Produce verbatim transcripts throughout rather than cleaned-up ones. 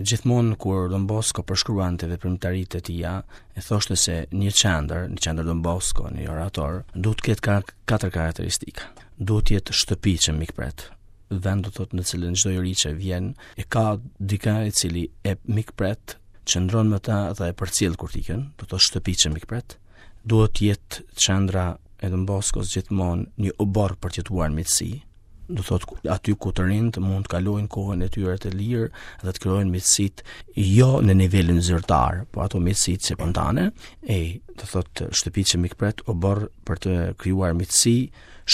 Gjithmonë kur Don Bosco përshkruante veprimtaritë e tija, e thoshte se një qendër, një qendër Don Bosco, një orator, duhet të ketë katër karakteristika. Duhet të jetë shtëpi që mikpret, vend do thotë në cilën çdo i ri që vjen e ka dikë i cili e mikpret, qëndron me ta dhe e përcjell kur t'ikën, do të thotë shtëpi që mikpret. Duhet të jetë qendra e Don Boscos gjithmonë një oborr për të jetuar në miqësi, do thotë aty ku të rinjtë mund të kalojnë kohën e tyre të lirë dhe të krijojnë miqësitë jo në nivelin zyrtar, po ato miqësitë spontane, e do thotë shtëpi që mikpret, oborr për të krijuar miqësi,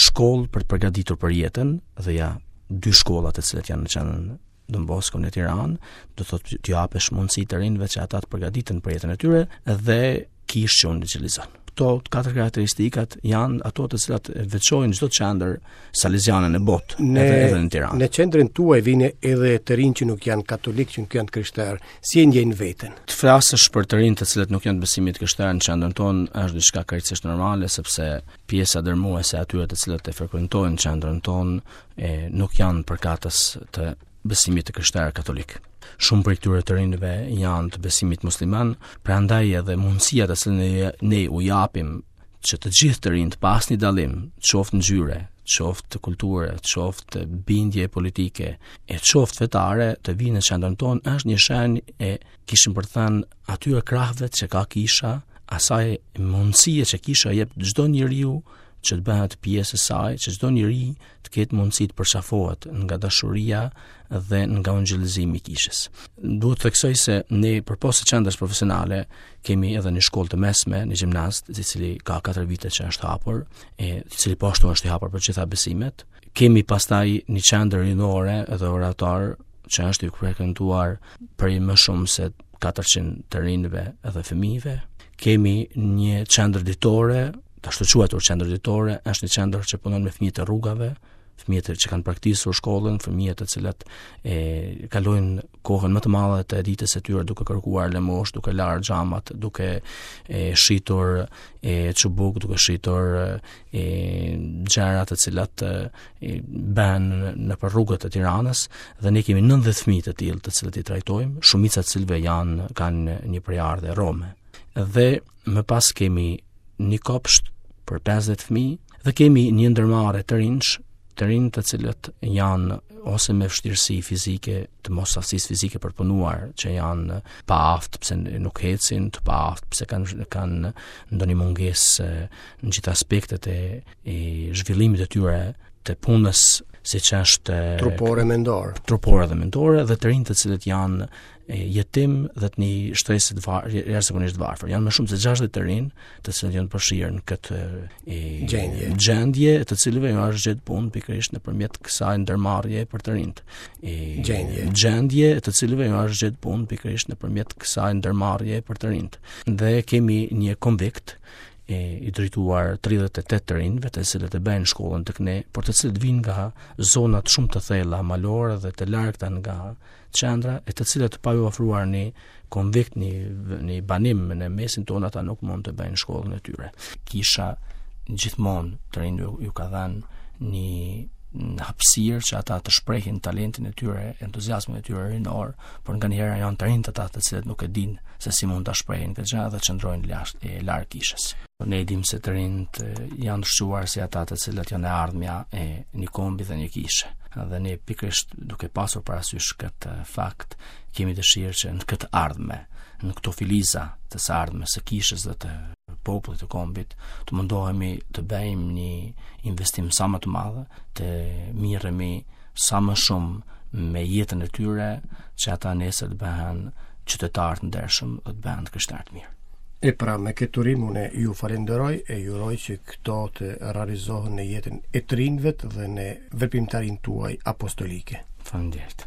shkollë për të përgatitur për jetën, dhe ja dy shkollat të cilat janë në qendrën Don Bosco në Tiranë, do thotë të japësh mundësi të rinjve që ata të përgatiten për jetën e tyre dhe kishë që ungjillizon. Këto katër karakteristikat janë ato të cilat veçojnë çdo qendër saleziane në botë, në, edhe, edhe në Tiranë. Në qendrën tuaj vijnë edhe të rinj që nuk janë katolik, që nuk janë të krishterë. Si e ndjejnë veten? Të flasësh për të rinj të cilët nuk janë të besimit krishterë në qendrën tonë është diçka krejtësisht normale, sepse pjesa dërmuese e atyre të cilët e frekuentojnë qendrën tonë e, nuk janë përkatës të besimit të krishterë katolik. Shumë prej këtyre të rinjve janë të besimit musliman, prandaj edhe mundësia të cilën ne, ne u japim që të gjithë të rinjt pa asnjë dallim, qoftë ngjyre, qoftë kulture, qoftë bindje politike, e qoftë fetare, të vinë në qendrën tonë është një shenjë e kishim për të thënë atyre krahëve që ka kisha, asaj mundësie që kisha jep çdo njeriu që të bëhet pjesë e saj, që çdo njeri të ketë mundësi të përqafohet nga dashuria dhe nga ungjillizimi i kishës. Duhet të theksoj se ne përpos së qendrës profesionale kemi edhe një shkollë të mesme, një gjimnaz, i cili ka katër vite që është hapur, e i cili po ashtu është i hapur për gjitha besimet. Kemi pastaj një qendër rinore edhe orator që është i frekuentuar prej më shumë se katërqind të rinjve edhe fëmijëve. Kemi një qendër ditore, të ashtu quajtur qendër ditore, është një qendër që punon me fëmijët e rrugave, fëmijët që kanë praktisur shkollën, fëmijët të cilët e kalojnë kohën më të madhe të ditës së tyre duke kërkuar lëmosh, duke larë xhamat, duke e shitur e çubuk, duke shitur e gjëra të cilat e bën nëpër rrugët e Tiranës, dhe ne kemi nëntëdhjetë fëmijë të tillë të cilët i trajtojmë, shumica të cilëve janë kanë një prejardhje rome. Dhe më pas kemi një kopsht për pesëdhjetë fëmijë dhe kemi një ndërmarrje të rinjsh, të rinj të cilët janë ose me vështirësi fizike, të mos aftësisë fizike për punuar, që janë pa aftë pse nuk ecin, të pa aftë pse kanë, kanë ndonjë mungesë në gjithë aspektet e, e zhvillimit të tyre të punës, siç është trupore mendore, trupore dhe mendore, dhe të rinj të cilët janë jetim dhe të një shtresë të var-, jashtëzakonisht të varfër. Janë më shumë se gjashtëdhjetë të rinj të cilët janë përfshirë në këtë e, gjendje, gjendje të cilëve ju është gjetë punë pikërisht nëpërmjet kësaj ndërmarrje për të rinjt. E, Gjendje. Gjendje të cilëve ju është gjetë punë pikërisht nëpërmjet kësaj ndërmarrje për të rinjt. Dhe kemi një konvikt e, i drejtuar tridhjetë e tetë të rinjve, të cilët e bëjnë shkollën tek ne, por të cilët vijnë nga zonat shumë të thella malore dhe të largëta nga qendra, e të cilët pa ju ofruar një konvikt, një, një banim në mesin tonë, ata nuk mund të bëjnë shkollën e tyre. Kisha gjithmonë të rinjve ju, ju ka dhënë një në hapësirë që ata të shprehin talentin e tyre, entuziazmin e tyre rinor, por nganjëherë janë të rinjt ata të cilët nuk e dinë se si mund ta shprehin këtë gjë dhe qëndrojnë jashtë e larg kishës. Ne e dimë se të rinjt janë shquar si ata të cilët janë e ardhmja e një kombi dhe një kishe. Dhe ne pikërisht duke pasur parasysh këtë fakt, kemi dëshirë që në këtë ardhme, në këto filiza të së ardhmes së kishës dhe të popullit të kombit, të mundohemi të bëjmë një investim sa më të madh, të mirremi sa më shumë me jetën e tyre, që ata nesër të bëhen qytetarë të ndershëm dhe të bëhen të krishterë të mirë. E pra, me këtë urim unë ju falenderoj e ju uroj që këto të realizohen në jetën e të rinjve dhe në veprimtarinë tuaj apostolike. Faleminderit.